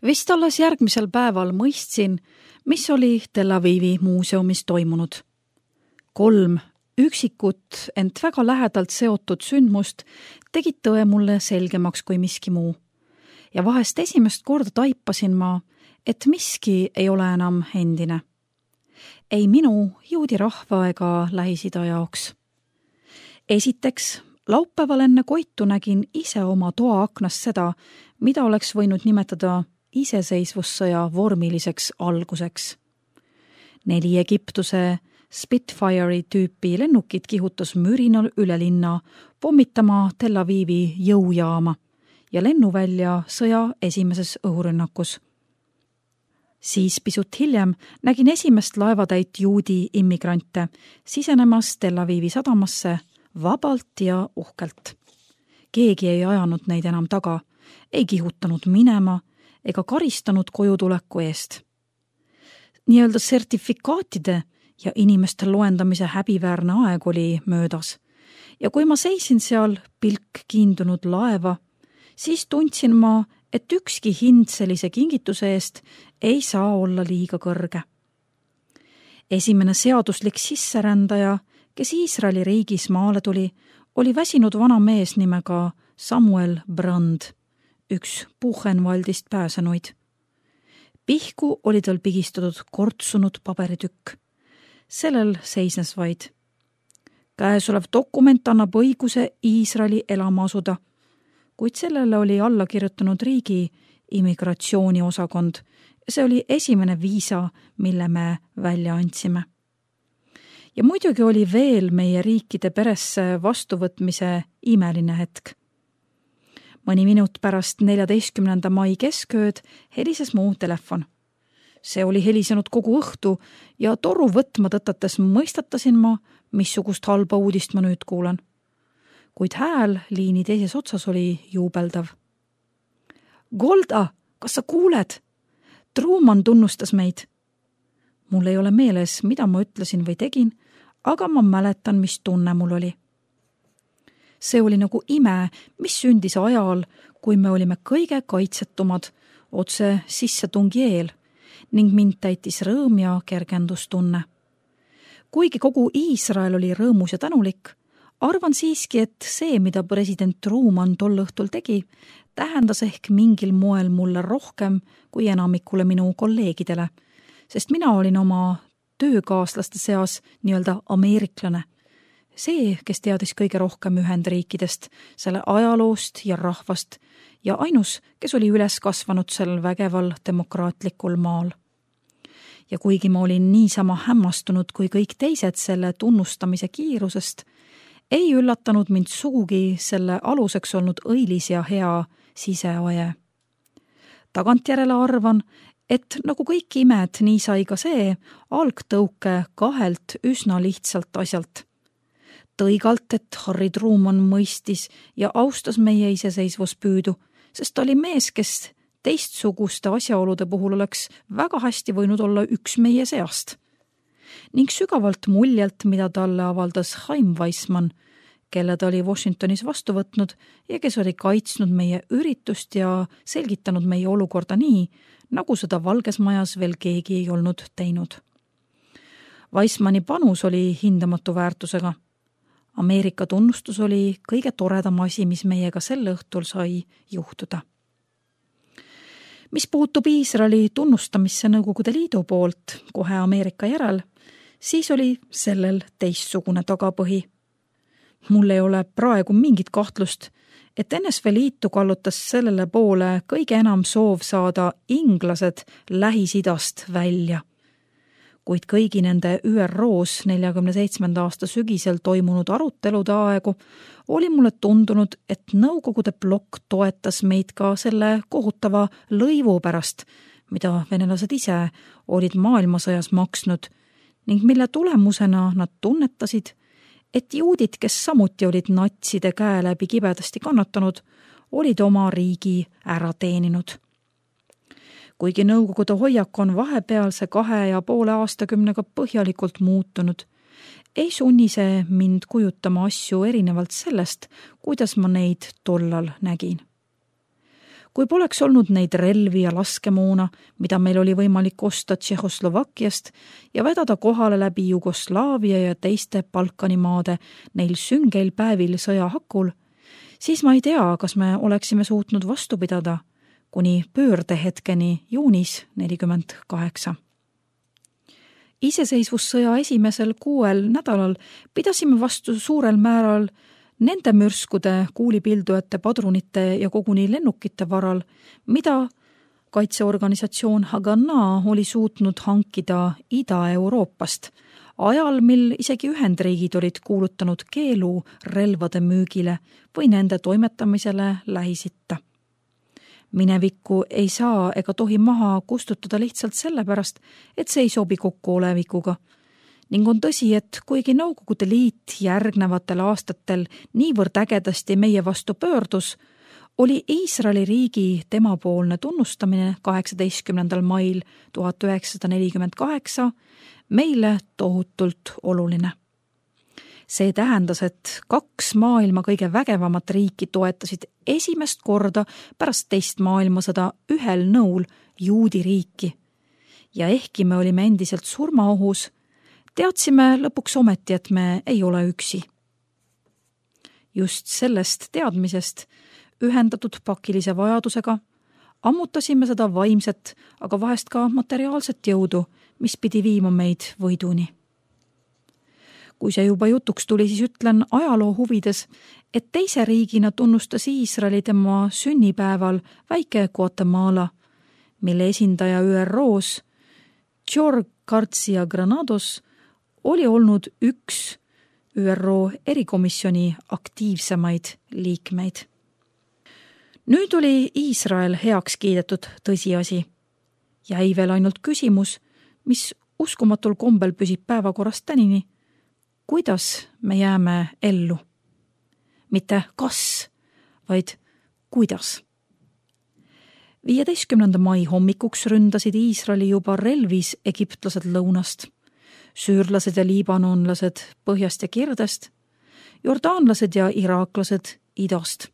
Vist alles järgmisel päeval mõistsin, mis oli Tel Avivi muuseumis toimunud. 3 üksikut, ent väga lähedalt seotud sündmust tegid tõe mulle selgemaks kui miski muu. Ja vahest esimest korda taipasin ma, et miski ei ole enam endine. Ei minu, juudi rahva ega Lähis-Ida jaoks. Esiteks, laupäeval enne Koitu nägin ise oma toa aknast seda, mida oleks võinud nimetada iseseisvussõja vormiliseks alguseks. 4 Egiptuse Spitfire'i tüüpi lennukit kihutas mürinal üle linna pommitama Tel Avivi jõujaama ja lennuvälja sõja esimeses õhurünnakus. Siis pisut hiljem nägin esimest laevatäit juudi immigrante sisenemas Tel Avivi sadamasse vabalt ja uhkelt. Keegi ei ajanud neid enam taga, ei kihutanud minema ega karistanud kojutuleku eest. Nii-öelda sertifikaatide ja inimeste loendamise häbiväärne aeg oli möödas. Ja kui ma seisin seal pilk kiindunud laeva, siis tundsin ma, et ükski hind sellise kingituse eest ei saa olla liiga kõrge. Esimene seaduslik sisserändaja, kes Iisraeli riigis maale tuli, oli väsinud vana mees nimega Samuel Brand, üks Buchenwaldist pääsenuid. Pihku oli tal pigistatud kortsunud paberitükk. Sellel seisnes vaid: käesolev dokument annab õiguse Iisraeli elama asuda, kuid sellele oli alla kirjutanud riigi immigratsiooniosakond. See oli esimene viisa, mille me välja andsime. Ja muidugi oli veel meie riikide peresse vastuvõtmise imeline hetk. Mõni minut pärast 14. mai keskööd helises mu telefon. See oli helisenud kogu õhtu ja toru võtma tõtates mõistatasin ma, missugust halba uudist ma nüüd kuulan. Kuid hääl liini teises otsas oli juubeldav. Golda, kas sa kuuled? Truman tunnustas meid. Mul ei ole meeles, mida ma ütlesin või tegin, aga ma mäletan, mis tunne mul oli. See oli nagu ime, mis sündis ajal, kui me olime kõige kaitsetumad otse sissetungi eel ning mind täitis rõõm ja kergendustunne. Kuigi kogu Iisrael oli rõõmus ja tänulik, arvan siiski, et see, mida president Truman tol õhtul tegi, tähendas ehk mingil moel mulle rohkem kui enamikule minu kolleegidele, sest mina olin oma töökaaslaste seas nii-öelda ameeriklane. See, kes teadis kõige rohkem Ühendriikidest, selle ajaloost ja rahvast ja ainus, kes oli üles kasvanud sellel vägeval demokraatlikul maal. Ja kuigi ma olin niisama hämmastunud kui kõik teised selle tunnustamise kiirusest, ei üllatanud mind sugugi selle aluseks olnud õilis ja hea siseoje. Tagantjärele arvan, et nagu kõik imed, nii sai ka see algtõuke 2 üsna lihtsalt asjalt. Tõigalt, et Harry Truman mõistis ja austas meie iseseisvuspüüdu, sest ta oli mees, kes teistsuguste asjaolude puhul oleks väga hästi võinud olla üks meie seast. Ning sügavalt muljelt, mida talle avaldas Chaim Weissmann, kelle ta oli Washingtonis vastu võtnud ja kes oli kaitsnud meie üritust ja selgitanud meie olukorda nii, nagu seda Valges Majas veel keegi ei olnud teinud. Weissmanni panus oli hindamatu väärtusega. Ameerika tunnustus oli kõige toredam asi, mis meiega sel õhtul sai juhtuda. Mis puutub Iisraeli tunnustamisse Nõukogude Liidu poolt kohe Ameerika järel, siis oli sellel teistsugune tagapõhi. Mul ei ole praegu mingit kahtlust, et NSV Liitu kallutas sellele poole kõige enam soov saada inglased Lähis-Idast välja. Kuid kõigi nende ÜROs 47. aasta sügisel toimunud arutelude aegu oli mulle tundunud, et Nõukogude blokk toetas meid ka selle kohutava lõivu pärast, mida venelased ise olid maailmasõjas maksnud ning mille tulemusena nad tunnetasid, et juudid, kes samuti olid natside käe läbi kibedasti kannatanud, olid oma riigi ära teeninud. Kuigi Nõukogude hoiak on vahepealse 2,5 aastakümnega põhjalikult muutunud, ei sunni see mind kujutama asju erinevalt sellest, kuidas ma neid tollal nägin. kui poleks olnud neid relvi ja laskemoona, mida meil oli võimalik osta Tšehhoslovakkiast ja vedada kohale läbi Jugoslaavia ja teiste Balkani maade neil süngeil päevil sõjahakul, siis ma ei tea, kas me oleksime suutnud vastu pidada kuni pöördehetkeni juunis 1948. Iseseisvussõja esimesel 6 nädalal pidasime vastu suurel määral nende mürskude, kuulipildujate, padrunite ja koguni lennukite varal, mida kaitseorganisatsioon Haganah oli suutnud hankida Ida-Euroopast, ajal, mil isegi Ühendriigid olid kuulutanud keelu relvade müügile või nende toimetamisele Lähis-Itta. Minevikku ei saa ega tohi maha kustutada lihtsalt sellepärast, et see ei sobi kokku olevikuga. Ning on tõsi, et kuigi Nõukogude Liit järgnevatel aastatel niivõrd ägedasti meie vastu pöördus, oli Iisraeli riigi temapoolne tunnustamine 18. mail 1948 meile tohutult oluline. See tähendas, et 2 maailma kõige vägevamat riiki toetasid esimest korda pärast teist maailmasõda ühel nõul juudi riiki. Ja ehkki me olime endiselt surmaohus, teadsime lõpuks ometi, et me ei ole üksi. Just sellest teadmisest, ühendatud pakilise vajadusega, ammutasime seda vaimset, aga vahest ka materiaalset jõudu, mis pidi viima meid võiduni. Kui see juba jutuks tuli, siis ütlen ajaloo huvides, et teise riigina tunnustas Iisraeli tema sünnipäeval väike Guatemala, mille esindaja ÜRO-s, George Garcia Granados, oli olnud üks ÜRO erikomisjoni aktiivsemaid liikmeid. Nüüd oli Iisrael heaks kiidetud tõsiasi. Jäi veel ainult küsimus, mis uskumatul kombel püsib päevakorrast tänini. Kuidas me jääme ellu? Mitte kas, vaid kuidas. 15. mai hommikuks ründasid Iisraeli juba relvis egiptlased lõunast, süürlased ja liibanonlased põhjast ja kirdest, jordaanlased ja iraaklased idast.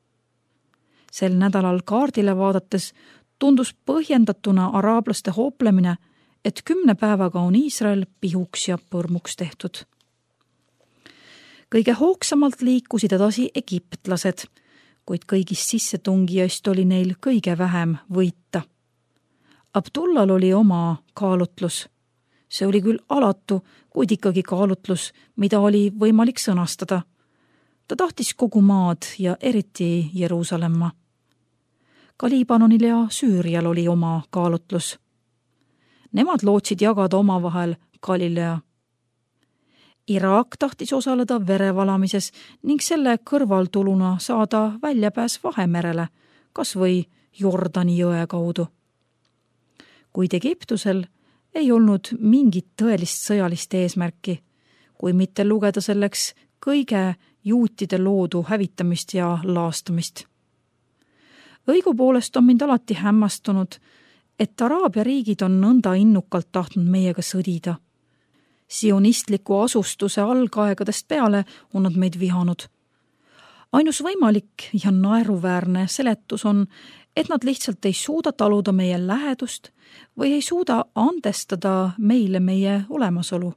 Sel nädalal kaardile vaadates tundus põhjendatuna araablaste hooplemine, et 10 päevaga on Iisrael pihuks ja põrmuks tehtud. Kõige hoogsamalt liikusid edasi egiptlased, kuid kõigist sissetungijaist oli neil kõige vähem võita. Abdullal oli oma kaalutlus. See oli küll alatu, kuid ikkagi kaalutlus, mida oli võimalik sõnastada. Ta tahtis kogu maad ja eriti Jeruusalemma. Ka Liibanonil ja Süürial oli oma kaalutlus. Nemad lootsid jagada omavahel Galilea. Iraak tahtis osaleda verevalamises ning selle kõrvaltuluna saada väljapääs Vahemerele, kas või Jordani jõe kaudu. Kuid Egiptusel ei olnud mingit tõelist sõjalist eesmärki, kui mitte lugeda selleks kõige juutide loodu hävitamist ja laastamist. Õigupoolest on mind alati hämmastunud, et Araabia riigid on nõnda innukalt tahtnud meiega sõdida. Sionistliku asustuse algaegadest peale on nad meid vihanud. Ainus võimalik ja naeruväärne seletus on, et nad lihtsalt ei suuda taluda meie lähedust või ei suuda andestada meile meie olemasolu.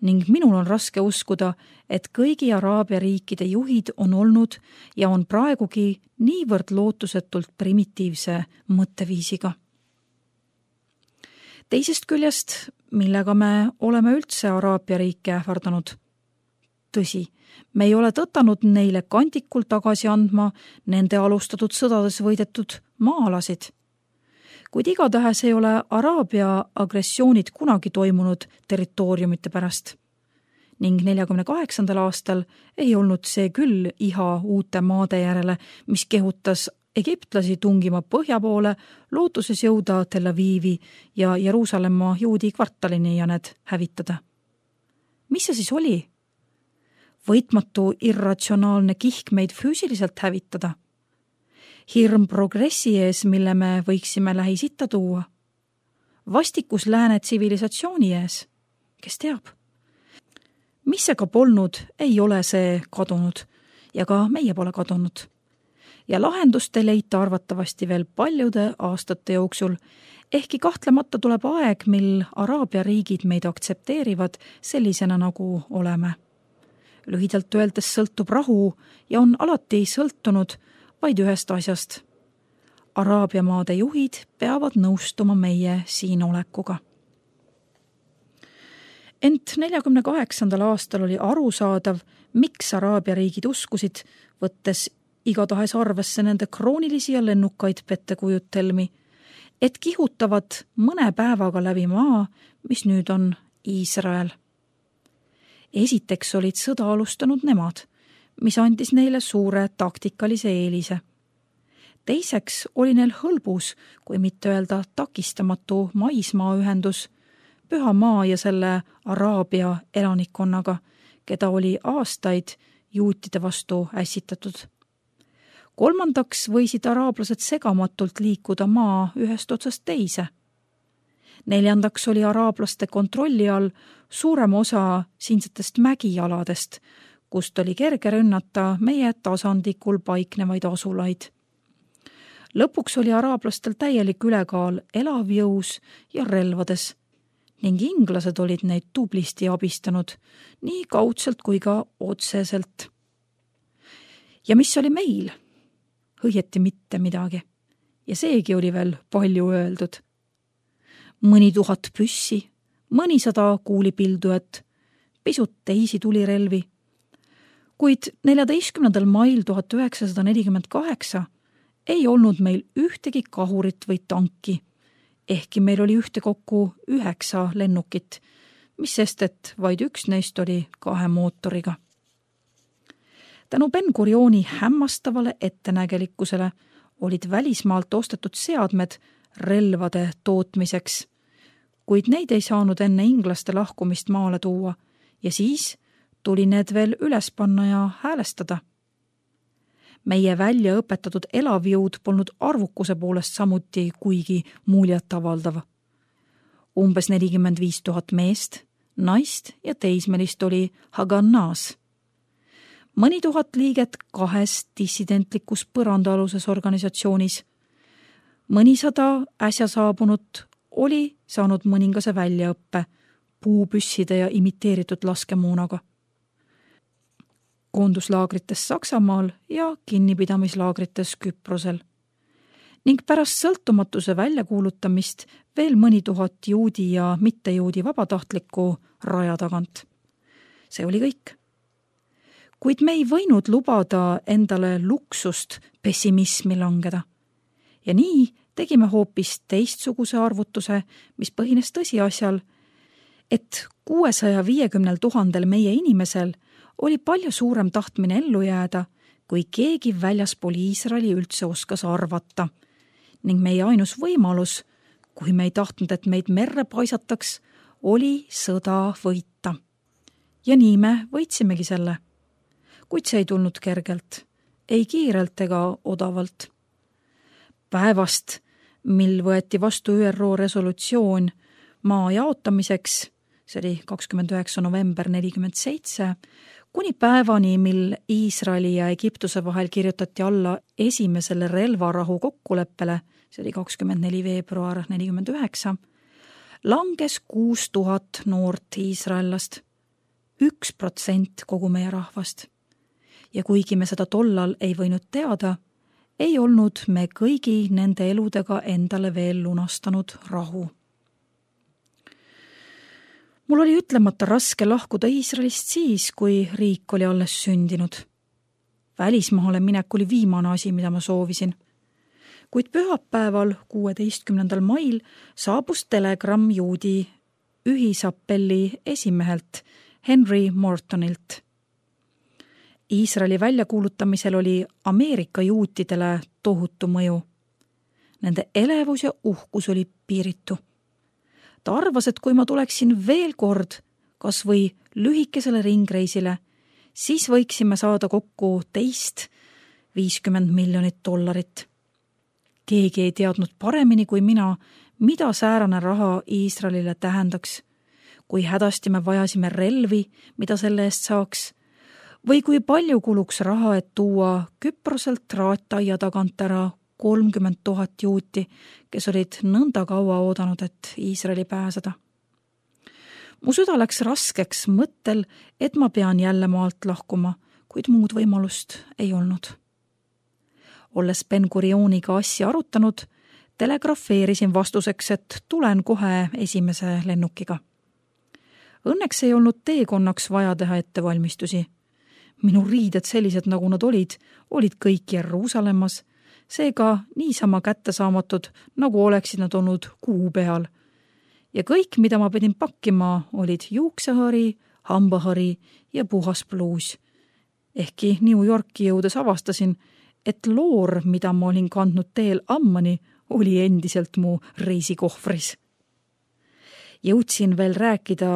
Ning minul on raske uskuda, et kõigi Araabia riikide juhid on olnud ja on praegugi niivõrd lootusetult primitiivse mõtteviisiga. Teisest küljest, millega me oleme üldse Araabia riike ähvardanud? Tõsi, me ei ole tõtanud neile kantikul tagasi andma nende alustatud sõdades võidetud maa-alasid. Kuid igatahes ei ole Araabia agressioonid kunagi toimunud territooriumite pärast. Ning 48. aastal ei olnud see küll iha uute maade järele, mis kehutas egiptlasi tungima põhja poole, lootuses jõuda Tel Avivi ja Jeruusalemma juudi kvartalini ja need hävitada. Mis see siis oli? Võitmatu irratsionaalne kihk meid füüsiliselt hävitada? Hirm progressi ees, mille me võiksime Lähis-Itta tuua? Vastikus lääne tsivilisatsiooni ees? Kes teab? Mis see ka polnud, ei ole see kadunud ja ka meie pole kadunud. ja lahendust ei leita arvatavasti veel paljude aastate jooksul, ehkki kahtlemata tuleb aeg, mil Araabia riigid meid aktsepteerivad sellisena, nagu oleme. Lühidalt öeldes sõltub rahu ja on alati sõltunud vaid ühest asjast. Araabia maade juhid peavad nõustuma meie siin olekuga. Ent 48. aastal oli arusaadav, miks Araabia riigid uskusid, võttes igatahes arvesse nende kroonilisi ja lennukaid pettekujutelmi, et kihutavad mõne päevaga läbi maa, mis nüüd on Iisrael. Esiteks olid sõda alustanud nemad, mis andis neile suure taktikalise eelise. Teiseks oli neil hõlbus, kui mitte öelda takistamatu maismaaühendus, Püha maa ja selle Araabia elanikkonnaga, keda oli aastaid juutide vastu ässitatud. Kolmandaks võisid araablased segamatult liikuda maa ühest otsast teise. Neljandaks oli araablaste kontrolli all suurem osa siinsetest mägialadest, kust oli kerge rünnata meie tasandikul paiknevaid asulaid. Lõpuks oli araablastel täielik ülekaal elavjõus ja relvades ning inglased olid neid tublisti abistanud, nii kaudselt kui ka otseselt. Ja mis oli meil? Õieti mitte midagi. Ja seegi oli veel palju öeldud. Mõni 1000 püssi, mõnisada kuulipildujat, pisut teisi tulirelvi. Kuid 14. mail 1948 ei olnud meil ühtegi kahurit või tanki, ehkki meil oli ühtekokku 9 lennukit, mis sest, et vaid üks neist oli 2 mootoriga. Tänu Ben-Gurioni hämmastavale ettenägelikkusele olid välismaalt ostetud seadmed relvade tootmiseks, kuid neid ei saanud enne inglaste lahkumist maale tuua ja siis tuli need veel üles panna ja häälestada. Meie välja õpetatud elavjõud polnud arvukuse poolest samuti kuigi muljet avaldav. Umbes 45 000 meest, naist ja teismelist oli Hagannas. Mõni 1000 liiget 2 dissidentlikus põrandaaluses organisatsioonis. Mõnisada äsja saabunut oli saanud mõningase väljaõppe puupüsside ja imiteeritud laskemuunaga. Koonduslaagrites Saksamaal ja kinnipidamislaagrites Küprosel. Ning pärast sõltumatuse väljakuulutamist veel mõni 1000 juudi ja mittejuudi vabatahtlikku raja tagant. See oli kõik. Kuid me ei võinud lubada endale luksust pessimismi langeda. Ja nii tegime hoopis teistsuguse arvutuse, mis põhines tõsiasjal, et 650 000 meie inimesel oli palju suurem tahtmine ellu jääda, kui keegi väljaspool Iisraeli üldse oskas arvata. Ning meie ainus võimalus, kui me ei tahtnud, et meid merre paisataks, oli sõda võita. Ja nii me võitsimegi selle. Kuid see ei tulnud kergelt, ei kiirelt ega odavalt. Päevast, mil võeti vastu ÜRO resolutsioon maa jaotamiseks, see oli 29. november 1947, kuni päevani, mil Iisraeli ja Egiptuse vahel kirjutati alla esimesele relvarahu kokkuleppele, see oli 24. veebruar 1949, langes 6000 noort iisraellast, 1% kogu meie rahvast. Ja kuigi me seda tollal ei võinud teada, ei olnud me kõigi nende eludega endale veel lunastanud rahu. Mul oli ütlemata raske lahkuda Iisraelist siis, kui riik oli alles sündinud. Välismaale minek oli viimane asi, mida ma soovisin. Kuid pühapäeval 16. mail saabus telegramm juudi ühisappelli esimehelt Henry Mortonilt. Iisraeli väljakuulutamisel oli Ameerika juutidele tohutu mõju. Nende elevus ja uhkus oli piiritu. Ta arvas, et kui ma tuleksin veel kord, kas või lühikesele ringreisile, siis võiksime saada kokku teist $50 miljonit. Keegi ei teadnud paremini kui mina, mida säärane raha Iisraelile tähendaks, kui hädasti me vajasime relvi, mida selle eest saaks, või kui palju kuluks raha, et tuua Küproselt traattaia tagant ära 30 000 juuti, kes olid nõnda kaua oodanud, et Iisraeli pääseda. Mu süda läks raskeks mõttel, et ma pean jälle maalt lahkuma, kuid muud võimalust ei olnud. Olles Ben Gurioniga asja arutanud, telegrafeerisin vastuseks, et tulen kohe esimese lennukiga. Õnneks ei olnud teekonnaks vaja teha ettevalmistusi. Minu riided sellised, nagu nad olid kõik Jeruusalemmas, seega niisama kättesaamatud, nagu oleksid nad olnud kuu peal. Ja kõik, mida ma pidin pakkima, olid juuksehõri, hambahõri ja puhas pluus. Ehkki New Yorki jõudes avastasin, et loor, mida ma olin kandnud teel Ammani, oli endiselt mu reisikohvris. Jõudsin veel rääkida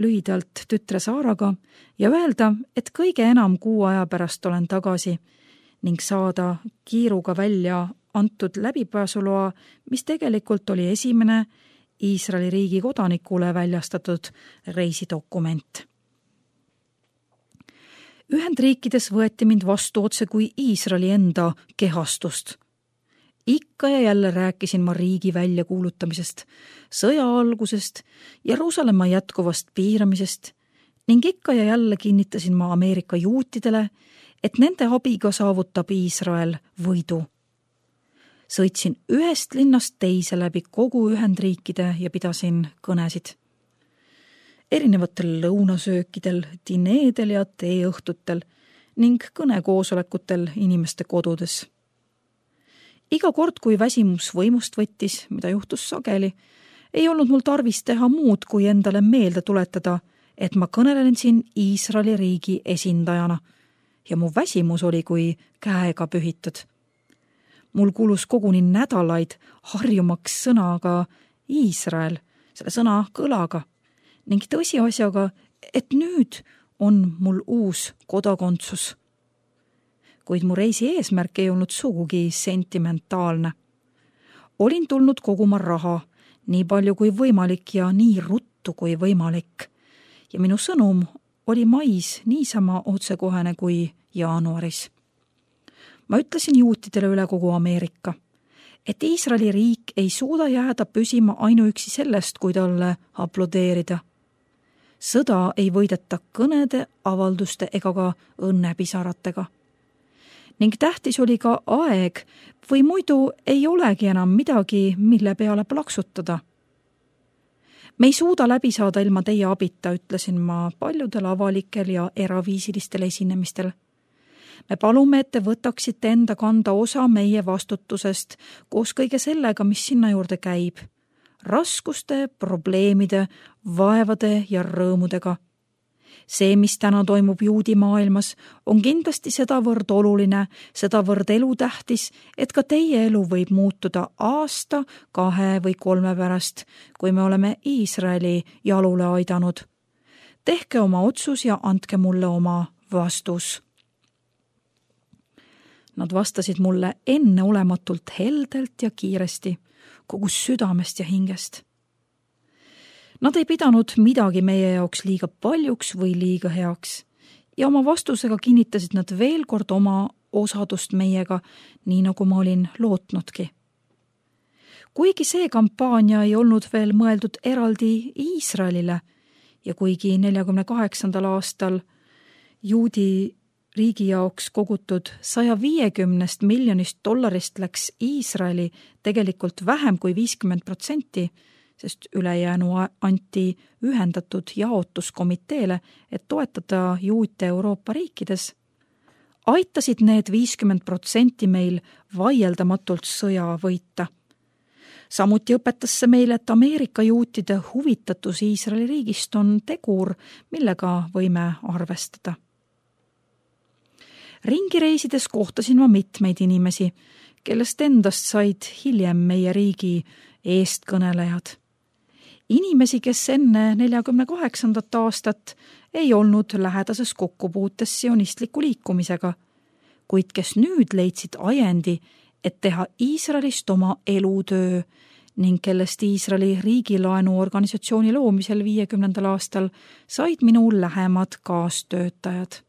lühidalt tütre Saaraga ja öelda, et kõige enam kuu aja pärast olen tagasi ning saada kiiruga välja antud läbipääsuloa, mis tegelikult oli esimene Iisraeli riigi kodanikule väljastatud reisidokument. Ühendriikides võeti mind vastu otse kui Iisraeli enda kehastust. Ikka ja jälle rääkisin ma riigi väljakuulutamisest, sõja algusest, Jeruusalemma jätkuvast piiramisest ning ikka ja jälle kinnitasin ma Ameerika juutidele, et nende abiga saavutab Iisrael võidu. Sõitsin ühest linnast teise läbi kogu Ühendriikide ja pidasin kõnesid. Erinevatel lõunasöökidel, dineedel ja teeõhtutel ning kõnekoosolekutel inimeste kodudes. Iga kord, kui väsimus võimust võttis, mida juhtus sageli, ei olnud mul tarvis teha muud, kui endale meelde tuletada, et ma kõnelen siin Iisraeli riigi esindajana ja mu väsimus oli kui käega pühitud. Mul kulus koguni nädalaid harjumaks sõnaga Iisrael, selle sõna kõlaga ning tõsiasjaga, et nüüd on mul uus kodakondsus. Kuid mu reisi eesmärk ei olnud sugugi sentimentaalne. Olin tulnud koguma raha, nii palju kui võimalik ja nii ruttu kui võimalik. Ja minu sõnum oli mais niisama otsekohene kui jaanuaris. Ma ütlesin juutidele üle kogu Ameerika, et Iisraeli riik ei suuda jääda püsima ainuüksi sellest, kui talle aplodeerida. Sõda ei võideta kõnede, avalduste ega ka õnnepisaratega. Ning tähtis oli ka aeg või muidu ei olegi enam midagi, mille peale plaksutada. Me ei suuda läbi saada ilma teie abita, ütlesin ma paljudel avalikel ja eraviisilistel esinemistel. Me palume, et te võtaksite enda kanda osa meie vastutusest koos kõige sellega, mis sinna juurde käib. Raskuste, probleemide, vaevade ja rõõmudega. See, mis täna toimub juudi maailmas, on kindlasti sedavõrd oluline, sedavõrd elutähtis, et ka teie elu võib muutuda aasta, 2 või 3 pärast, kui me oleme Iisraeli jalule aidanud. Tehke oma otsus ja andke mulle oma vastus. Nad vastasid mulle enneolematult heldelt ja kiiresti, kogu südamest ja hingest. Nad ei pidanud midagi meie jaoks liiga paljuks või liiga heaks ja oma vastusega kinnitasid nad veel kord oma osadust meiega, nii nagu ma olin lootnudki. Kuigi see kampaania ei olnud veel mõeldud eraldi Iisraelile ja kuigi 48. aastal juudi riigi jaoks kogutud $150 miljonist läks Iisraeli tegelikult vähem kui 50%, sest ülejäänu anti ühendatud jaotuskomiteele, et toetada juute Euroopa riikides, aitasid need 50% meil vaieldamatult sõja võita. Samuti õpetas see meile, et Ameerika juutide huvitatus Iisraeli riigist on tegur, millega võime arvestada. Ringi reisides kohtasin ma mitmeid inimesi, kellest endast said hiljem meie riigi eestkõnelejad. Inimesi, kes enne 48. aastat ei olnud lähedases kokkupuutes sionistliku liikumisega, kuid kes nüüd leidsid ajendi, et teha Iisraelist oma elutöö ning kellest Iisraeli riigilaenuorganisatsiooni loomisel 50. aastal said minu lähemad kaastöötajad.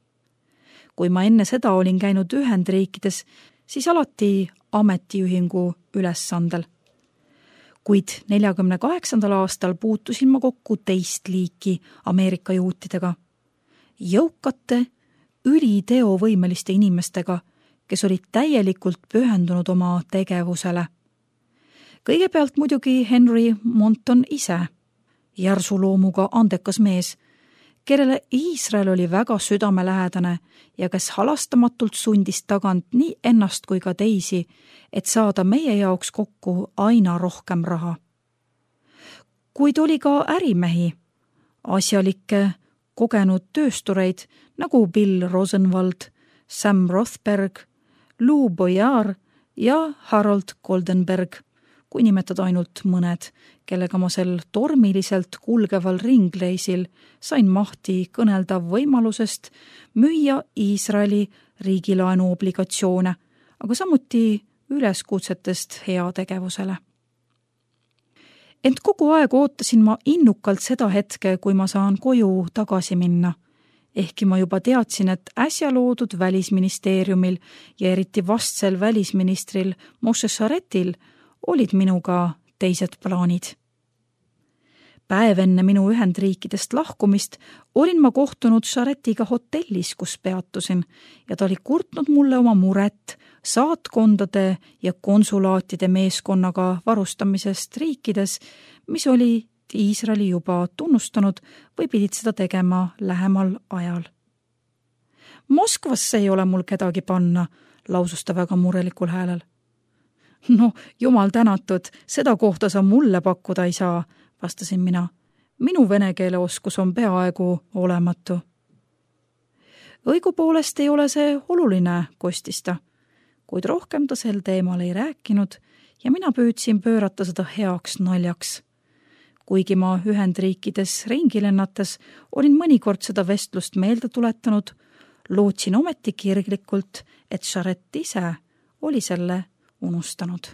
kui ma enne seda olin käinud Ühendriikides, siis alati ametiühingu ülesandel. Kuid 48. aastal puutusin ma kokku teist liiki Ameerika juutidega. Jõukate, üliteovõimeliste inimestega, kes olid täielikult pühendunud oma tegevusele. Kõigepealt muidugi Henry Monton ise, järsuloomuga andekas mees, kellele Iisrael oli väga südamelähedane ja kes halastamatult sundis tagant nii ennast kui ka teisi, et saada meie jaoks kokku aina rohkem raha. Kuid oli ka ärimehi, asjalikke, kogenud tööstureid nagu Bill Rosenwald, Sam Rothberg, Lou Boyard ja Harold Goldenberg, kui nimetada ainult mõned, kellega ma sel tormiliselt kulgeval ringleisil sain mahti kõnelda võimalusest müüa Iisraeli riigilaenu obligatsioone, aga samuti üleskutsetest heategevusele. Ent kogu aeg ootasin ma innukalt seda hetke, kui ma saan koju tagasi minna. Ehkki ma juba teadsin, et äsja loodud välisministeeriumil ja eriti vastsel välisministril Moshe Sharetil olid minuga teised plaanid. Päev enne minu Ühendriikidest lahkumist olin ma kohtunud Sharetiga hotellis, kus peatusin, ja ta oli kurtnud mulle oma muret saatkondade ja konsulaatide meeskonnaga varustamisest riikides, mis oli Iisraeli juba tunnustanud või pidid seda tegema lähemal ajal. Moskvasse ei ole mul kedagi panna, lausus ta väga murelikul häälel. No, jumal tänatud, seda kohta sa mulle pakkuda ei saa, vastasin mina. Minu vene keele oskus on peaaegu olematu. Õigupoolest ei ole see oluline, kostis ta, kuid rohkem ta sel teemal ei rääkinud ja mina püüdsin pöörata seda heaks naljaks. Kuigi ma Ühendriikides ringi lennates olin mõnikord seda vestlust meelde tuletanud, lootsin ometi kirglikult, et Sharet ise oli selle unustanud.